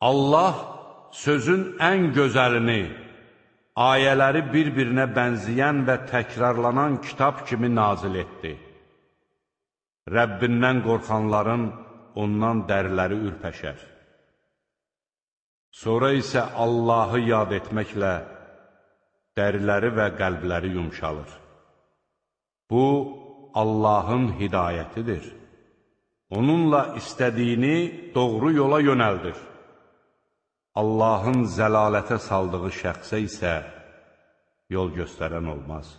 Allah sözün ən gözəlini, ayələri bir-birinə bənzəyən və təkrarlanan kitab kimi nazil etdi. Rəbbindən qorxanların ondan dəriləri ürpəşər. Sonra isə Allahı yad etməklə dəriləri və qəlbləri yumşalır. Bu, Allahın hidayətidir. Onunla istədiyini doğru yola yönəldir. Allahın zəlalətə saldığı şəxsə isə yol göstərən olmaz.